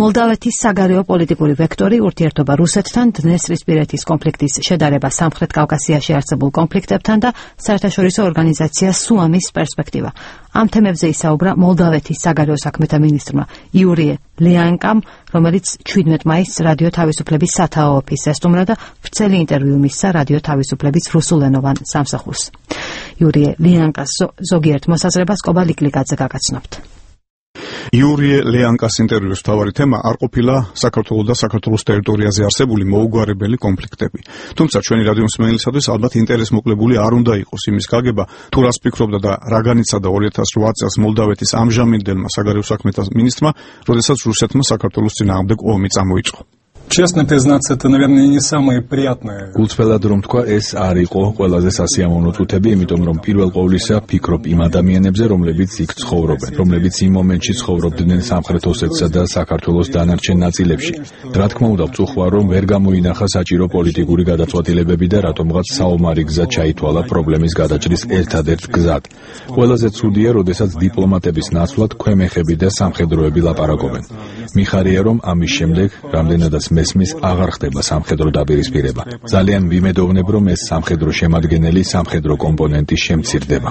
მოლდავეთის საგარეო პოლიტიკური ვექტორი, ურთიერთობა რუსეთთან, დნესტრისპირეთის კონფლიქტის შედარება სამხრეთ კავკასიაში არსებულ კონფლიქტებთან და საერთაშორისო ორგანიზაცია SUAM-ის პერსპექტივა. Ამ თემებზე ისაუბრა მოლდავეთის საგარეო საქმეთა მინისტრმა იური ლეანკამ, რომელიც 17 მაისს რადიო თავისუფლების სათაო ოფისს ესტუმრა და ვრცელი ინტერვიუ მისცა რადიო თავისუფლების რუსულენოვან სამსახურს. იური ლეანკას ზოგიერთ მოსაზრებას კობა ლიკლიკაძე გაგაცნობთ. იური ლეანკას ინტერვიუს მთავარი თემა არ ყოფილა საქართველოს და საქართველოს ტერიტორიაზე არსებული მოუგვარებელი კონფლიქტები. თუმცა ჩვენი რადიო მსმენელისათვის ალბათ ინტერესმოკლებული არ უნდა იყოს იმის გაგება, თუ რას ფიქრობდა და რა განიცადა 2008 წელს მოლდავეთის ამჟამინდელმა საგარეო საქმეთა მინისტრმა, როდესაც რუსეთმა საქართველოს წინააღმდეგ ომი წამოიწყო. Честно признаться, это, наверное, не самые приятные. Გულწრფელად რომ თქვა, ეს არ იყო ყველაზე სასიამოვნო წუთები, იმიტომ რომ პირველ ყოვლისა ფიქრობ იმ ადამიანებზე, რომლებიც იქ ცხოვრობენ, რომლებიც იმ მომენტში ცხოვრობდნენ სამხრეთ ოსეთსა და საქართველოს დანარჩენ ნაწილებში. რა თქმა უნდა, ვწუხვა, რომ ვერ გამოინახა საჭირო პოლიტიკური გადაწყვეტილებები და რატომღაც საომარი გზა ჩაითვალა პრობლემის გადაჭრის ერთადერთ გზად. ყველაზე ცუდია, როდესაც დიპლომატების ნაცვლად ქვემეხები და სამხედროები ლაპარაკობენ. მიხარია, რომ ამის შემდეგ რამდენადაც მესმის აღარ ხდება სამხედრო დაპირისპირება. ძალიან ვიმედოვნებ, რომ ეს სამხედრო შემადგენელი სამხედრო კომპონენტი შემცირდება.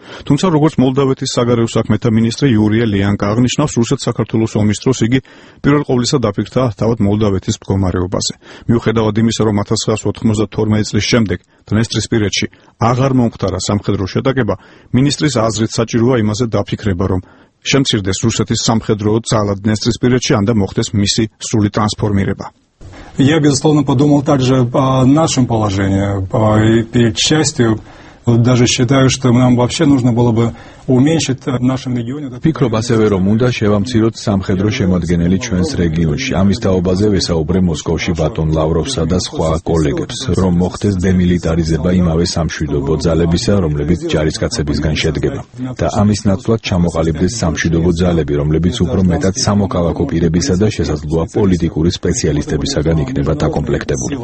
თუმცა როგორც მოლდავეთის საგარეო საქმეთა მინისტრი იური ლეანკა აღნიშნავს, რუსეთ-საქართველოს ომის დროს იგი პირველ ყოვლისა დაფიქრდა თავად მოლდავეთის მდგომარეობაზე. მიუხედავად იმისა, რომ 1992 წლის შემდეგ დნესტრისპირეთში აღარ მომხდარა სამხედრო შეტაკება, მინისტრის აზრით საჭიროა იმაზე დაფიქრება, რომ შემცირდეს რუსეთის სამხედრო ძალა დნესტრისპირეთში, ან და მოხდეს მისი სრული ტრანსფორმირება. Я, безусловно, подумал также о нашем положении. И перед частью даже считаю, что нам вообще нужно было бы уменьшить в нашем регионе. Ფიქრობ ასევე, რომ უნდა შევამციროთ სამხედრო შემადგენელი ჩვენს რეგიონში. ამის თაობაზე ვესაუბრე მოსკოვში ბატონ ლავროვსა და სხვა კოლეგებს, რომ მოხდეს დემილიტარიზება იმავე სამშვიდობო ძალებისა, რომლებიც ჯარისკაცებისგან შედგება. და ამის ნაცვლად ჩამოყალიბდეს სამშვიდობო ძალები, რომლებიც უფრო მეტად სამოქალაქო პირებისა და შესაძლოა პოლიტიკური სპეციალისტებისაგან იქნება დაკომპლექტებული.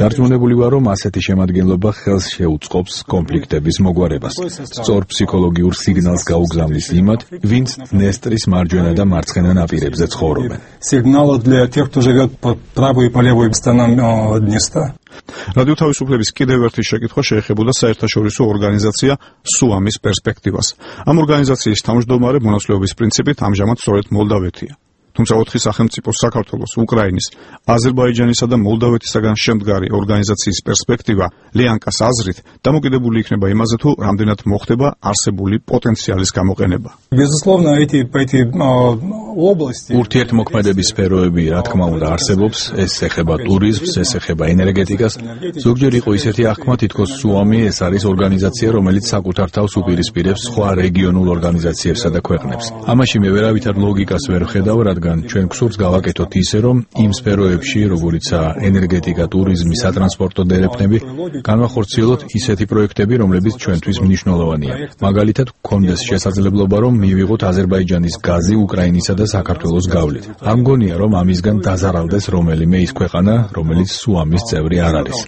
დარწმუნებული ვარ, რომ ასეთი შემადგენლობა ხელს შეუწყობს კონფლიქტების მოგვარებას. სწორ ფსიქოლოგიურ სიგნალს გაუგზავნის იმათ, ვინც დნესტრის მარჯვენა და მარცხენა ნაპირებზე ცხოვრობენ. Сигналы для тех, кто живет по правой и по левой сторонам Днестра. რადიო თავისუფლების კიდევ ერთი შეკითხვა შეეხებოდა საერთაშორისო ორგანიზაცია SUAM-ის პერსპექტივას. ამ ორგანიზაციის თავმჯდომარე მონაცვლეობის პრინციპით ამჟამად სწორედ მოლდავეთია. თუმცა 4 სახელმწიფოს საქართველოს, უკრაინის, აზერბაიჯანისა და მოლდავეთისაგან შემდგარი ორგანიზაციის პერსპექტივა ლეანკას აზრით დამოკიდებული იქნება იმაზე, თუ რამდენად მოხდება არსებული პოტენციალის გამოყენება. Безусловно, эти области ურთიერთმოქმედების სფეროები, რა თქმა უნდა, არსებობს, ეს ეხება ტურიზმს, ეს ეხება ენერგეტიკას. ზოგჯერ იყო ისეთი აღქმა, თითქოს SUAM-ი ეს არის ორგანიზაცია, რომელიც საკუთარ თავს უპირისპირებს სხვა რეგიონულ ორგანიზაციებსა და ქვეყნებს. ამაში მე ვერავითარ ლოგიკას ვერ ვხედავ, რადგან ჩვენ გსურს გავაკეთოთ ისე, რომ იმ სფეროებში, როგორიცაა ენერგეტიკა, ტურიზმი, სატრანსპორტო დერეფნები, განვახორციელოთ ისეთი პროექტები, რომლებიც ჩვენთვის მნიშვნელოვანია. მაგალითად, გქონდეს შესაძლებლობა, რომ მივიღოთ აზერბაიჯანის გაზი უკრაინისა და საქართველოს გავლით. არ მგონია, რომ ამისგან დაზარალდეს რომელიმე ის ქვეყანა, რომელიც SUAM-ის წევრი არ არის.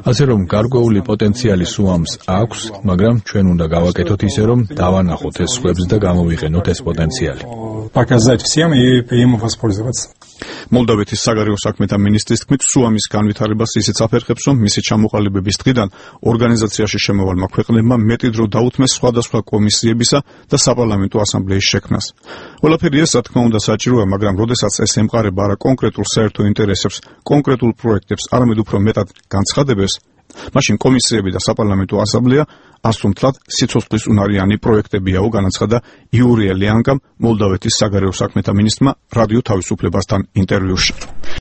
ასე რომ გარკვეული პოტენციალი SUAM-ს აქვს, მაგრამ ჩვენ უნდა გავაკეთოთ ისე, რომ დავანახოთ ეს სხვებს და გამოვიყენოთ ეს პოტენციალი. Показать всем и им воспользоваться. მოლდავეთის საგარეო საქმეთა მინისტრის თქმით, SUAM-ის განვითარებას ისიც აფერხებს, რომ მისი ჩამოყალიბების დღიდან ორგანიზაციაში შემოვალმა ქვეყნებმა მეტი დრო დაუთმეს სხვადასხვა კომისიებისა და საპარლამენტო ასამბლეის შექმნას. ყველაფერი ეს, რა თქმა უნდა, საჭიროა, მაგრამ როდესაც ეს ემყარება არა კონკრეტულ საერთო ინტერესებს, კონკრეტულ პროექტებს, არამედ უფრო მეტად განცხადებებს, მაშინ კომისიები და საპარლამენტო ასამბლეა ასუმთლად სიცოცხლისუნარიანი პროექტებიაო, განაცხადა იური ლეანკამ მოლდავეთის საგარეო საქმეთა მინისტრმა რადიო თავისუფლებასთან ინტერვიუში.